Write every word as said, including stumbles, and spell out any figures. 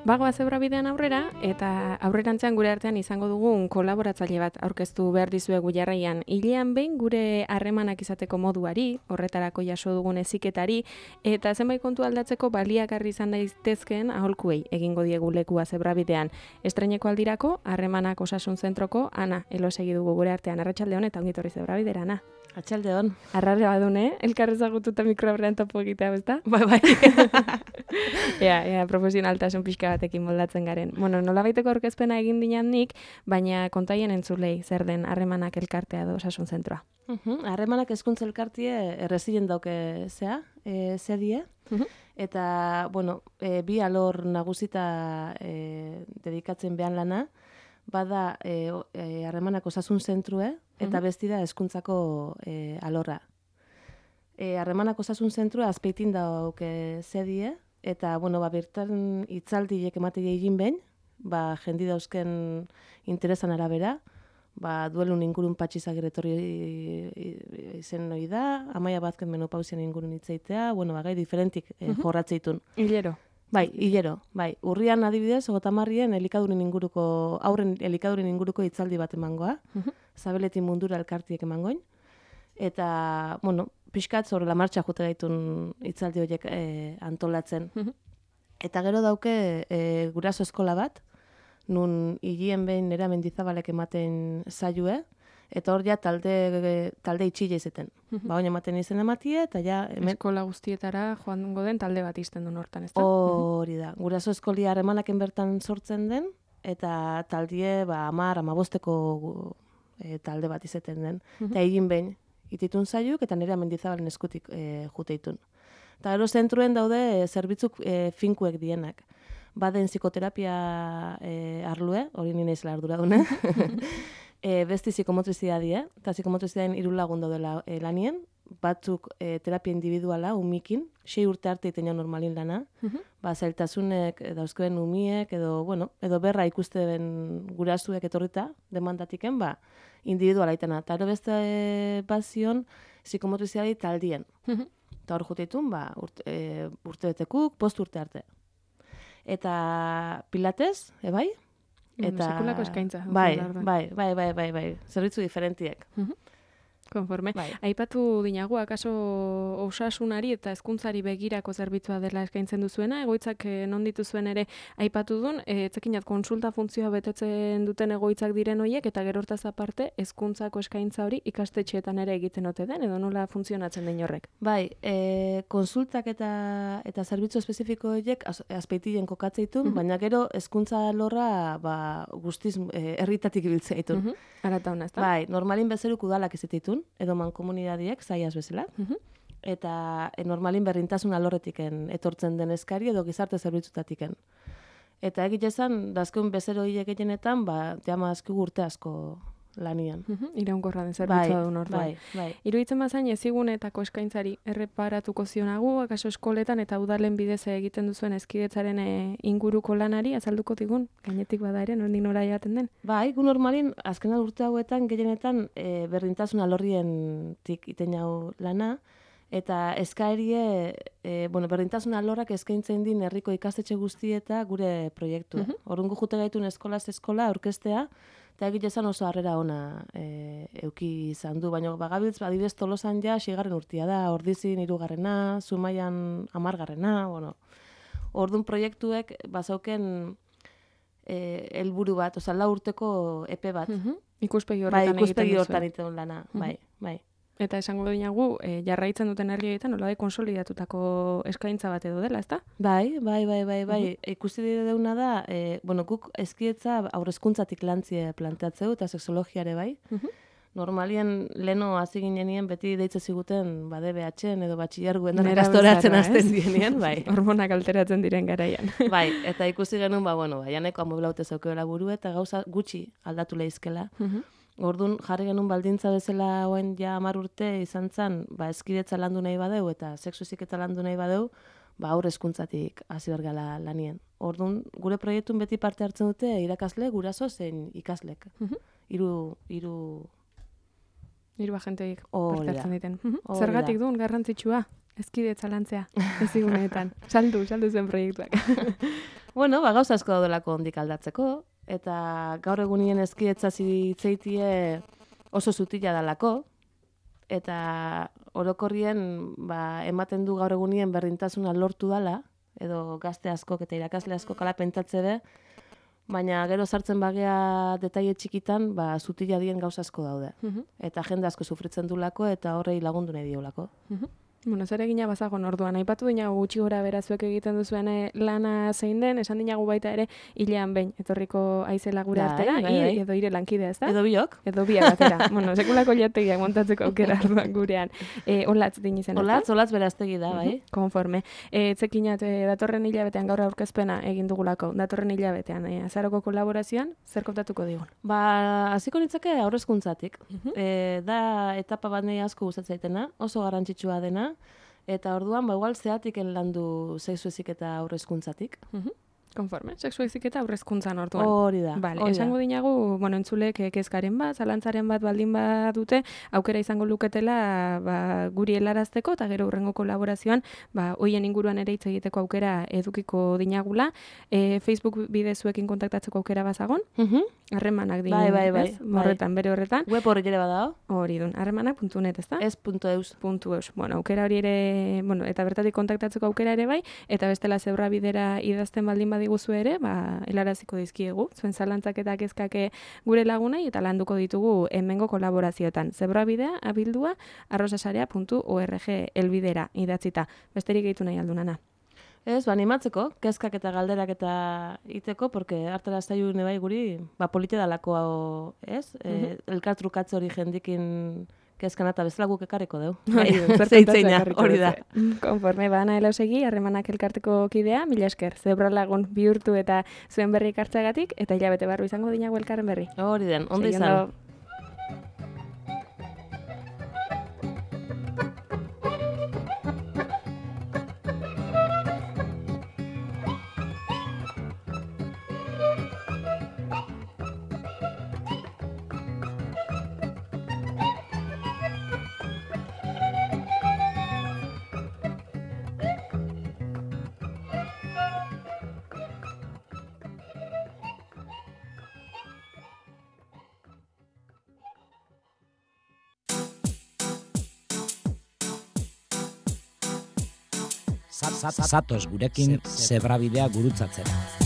Bagoa zebra bidean aurrera, eta aurrerantzean gure artean izango dugun kolaboratzaile bat aurkeztu behar dizuegu jarraian. Hilean behin gure harremanak izateko moduari, horretarako jaso dugun heziketari, eta zenbait kontu aldatzeko baliagarri izan daitezkeen aholkuei egingo diegu lekua zebra bidean. Estreineko aldirako, harremanak osasun zentroko, Ana, elosegi dugu gure artean, arratsalde on eta ongitorri zebra bidera, Ana. Atxalde hon. Arrarra badune, elkarrezagututa mikroaurrean topo egitea, bezta? Bai, bai. Ea, ea, profesionaltasun pixka batekin moldatzen garen. Bueno, nolabaiteko aurkezpena egin dinan nik, baina kontaien entzulei zer den harremanak elkartea edo osasun zentroa. Uh-huh. Harremanak hezkuntza elkartie errezilen dauke zea, e, zedie, uh-huh. Eta, bueno, e, bi alor nagusita e, dedikatzen behan lana, bada e, e, harremanak osasun zentrue, eta besti da hezkuntzako e, alorra. E, harremanak osasun zentrua azpeitin dauke zedie, eta, bueno, ba, bertan hitzaldiek ematei egin behin, ba, jendi dauzken interesan arabera, ba, duelun ingurun patxizagir etorri izen noi da, Amaia Bazken menopausian ingurun hitzeitea, bueno, ba, gai diferentik e, jorratzeitun. Hilero. Bai, hilero, bai. Urrian adibidez, ogotamarrien elikadurin inguruko, aurren elikadurin inguruko hitzaldi bat emangoa, uh-huh. Zabeletin mundura elkartiek emangoin, eta, bueno, pixkat zorela martxa jute gaitun hitzaldi horiek e, antolatzen. Uh-huh. Eta gero dauke e, guraso eskola bat, nun hilien behin nera Mendizabalek ematen zailue, eta hor ja talde, talde itxile izeten. Ba, oin ematen izen ematie, eta ja... Hemen... Eskola guztietara joango den talde bat izten duen hortan, ez da? Hori da. Guraso eskolia harremanaken bertan sortzen den, eta taldie, ba, amar, amabosteko e, talde bat izeten den. Eta egin behin, ititun zaiuk, eta nire Mendizabalen eskutik e, juteitun. Eta gero zentruen daude e, zerbitzuk e, finkuek dienak. Baden psikoterapia e, arlue, hori nina izela ardura dune. E, besti psikomotrizidadie, eta psikomotrizidadien hiru lagun daudela e, lanien, batzuk e, terapia individuala, umikin, sei urte arte iten normalin lana, uh-huh. Ba, zailtasunek dauzkeben umiek, edo, bueno, edo berra ikuste den gurasuek etorrita, demandatiken, ba, individuala itena. Eta ero beste e, bazion, psikomotrizidadi taldien. Uh-huh. Eta hor juteitun, ba, urte, e, urte betekuk, post urte arte. Eta pilates, ebai? Eta sekulako eskaintza. Bai, bai, bai, bai, bai, bai. Zerbitzu diferentiek. Uh-huh. Konforme. Bai. Aipatu dinagu, akaso osasunari eta hezkuntzari begirako zerbitzua dela eskaintzen duzuena, egoitzak non dituzuen ere aipatu duen, etzekinat konsulta funtzioa betetzen duten egoitzak diren horiek, eta gero hortaz aparte, hezkuntzako eskaintza hori ikastetxeetan ere egiten ote den, edo nola funtzionatzen den horrek? Bai, e, konsultak eta eta zerbitzu espezifiko horiek azpeitien kokatzeitun, uh-huh. Baina gero hezkuntza lorra ba, guztiz e, herritatik ibiltzeitun. Uh-huh. Arata hona, ez da? Bai, normalin bezeruk udalak izateitun, edo mankomunidadiek, zaiaz bezala. Uh-huh. Eta e, normalin berrintasun alorretiken etortzen den eskari edo gizarte zerbitzutatiken. Eta egitezan, dazkeun bezero hile gehienetan, ba, jama azkigu urte asko lanian. Uh-huh. Iraunkorra den zerbitzua bai, duen orduan. Bai, bai. Iruditzen bazain ezigunetako eskaintzari erreparatuko zionagu, akaso eskoletan eta udalen bidez egiten duzuen ezkidetzaren inguruko lanari, azalduko digun, gainetik bada ere, nondik nora jaten den? Bai, gu normalin, azkenan urte hauetan, gehienetan e, berrintasun alorrien tik iten jau lana, eta eskaerie, e, bueno, berdintasun alorrak eskaintzen din herriko ikastetxe guztieta gure proiektua. Uh-huh. Orrungo jute gaitun eskolaz eskola aurkeztea, eta egitezan oso harrera ona e, euki izan du, baina bagabiltz, adibidez Tolosan ja, sigarren urtia da, Ordizin hirugarrena, Zumaian hamargarrena, bueno, ordun proiektuek bazauken e, helburu bat, oza, lau urteko epe bat. Uh-huh. Ikuspegi horretan bai, ikuspegi horretan egiten lana, uh-huh. bai, bai. Eta esango dinagu, e, jarraitzen duten herrietan, nola da konsolidatutako eskaintza bat edo dela, ezta? Bai, bai, bai, bai, bai. Uh-huh. Ikusi deuna da, e, bueno, guk ezkietza aurrezkuntzatik lantzie planteatzeu eta sexologiare bai. Uh-huh. Normalien leno hasi ginenien beti deitze ziguten ba D B H-en edo batxilerguen ikastoratzen hasten dienien, bai. Hormonak alteratzen diren garaian. Bai, eta ikusi genuen ba bueno, ba janeko amoblaute zeukeela buru eta gauza gutxi aldatu leizkela. Uh-huh. Orduan jarri genuen baldintza bezala oen ja hamar urte izan zen, ba, eskidetza landu nahi badeu eta sexu heziketa landu nahi badeu, ba, aurre hezkuntzatik hasi behar gala lanien. Orduan, gure proiektun beti parte hartzen dute irakasle, guraso zein ikaslek. Hiru hiru hiru agenteik Hori parte da. hartzen diten. Hori Zergatik da. duen garrantzitsua? Ezkidetza lantzea, eziguneetan. Saldu, saldu zen proiektuak. Bueno, ba, gauza asko daudelako ondik aldatzeko, eta gaur egunien ezkidetza zitzeitie oso zutila dalako, eta orokorrien ba, ematen du gaur egunien berdintasuna lortu dala, edo gazte askok eta irakasle askok ala pentatze be, baina gero sartzen bagea detaile txikitan, ba, zutila dien gauza asko daude. Eta jende asko sufritzen dulako eta horrei lagundu nahi diolako. Bueno, zer egina bazagon orduan, aipatu dinagu gutxi gora berazuek egiten duzuen lana zein den, esan dinagu baita ere hilean behin, etorriko aizela gure Bai, artera, bai, i- bai. edo ire lankidea, ez da? Edo biok? Edo biak batera. Bueno, sekulako jategiak montatzeko aukera orduan gurean. E, olatz din izan, Olatz, olatz beraztegi da, bai. Konforme. E, Etzekinat, e, datorren hilabetean gaur aurkezpena egin dugulako, datorren hilabetean, e, azaroko kolaborazioan, zer kontatuko digun? Ba, hasiko nitzake aurrezkuntzatik. E, da etapa bat nahi asko gustatzen zaitena, oso garrantzitsua dena, eta orduan, ba, igual zeatiken landu sexu heziketa aurrezkuntzatik. Konforme, sexu heziketa aurrezkuntzan orduan. Hori da. Vale, hori da. esango dinagu, bueno, entzulek eh, kezkaren bat, zalantzaren bat baldin badute, aukera izango luketela ba, guri helarazteko eta gero hurrengo kolaborazioan, ba, hoien inguruan ere hitz egiteko aukera edukiko dinagula. E, Facebook bidezuekin kontaktatzeko aukera bazagon, Mhm. harremanak din, Bai, bai, bai, ez? bai. Horretan, bere horretan. Web horri ere badao, Hori dun, harremanak puntu net, ez da? ez punto eus. Puntu eus. Bueno, aukera hori ere, bueno, eta bertatik kontaktatzeko aukera ere bai, eta bestela zebra bidera idazten baldin badiguzu ere, ba, helaraziko dizkiegu. Zuen zalantzak eta kezkake gure lagunei eta landuko ditugu hemengo kolaborazioetan. Zebra bidea, abildua, arrosasarea puntu org elbidera idatzita. Besterik gehitu nahi aldunana. Ez, ba, animatzeko, kezkak eta galderak eta iteko, porque hartara zailu bai guri, ba, polite dalako hau, ez? E, elkartrukatze hori jendikin kezkan eta bezala guk ekarriko deu. Zeitzeina, hori da. Konforme, ba, Ana Elausegi, harremanak elkarteko kidea, mila esker, zebra lagun bihurtu eta zuen berri hartzeagatik, eta hilabete barru izango dinago elkarren berri. Hori den, ondo Segi izan. ondo. Zatoz gurekin zebrabidea gurutzatzera.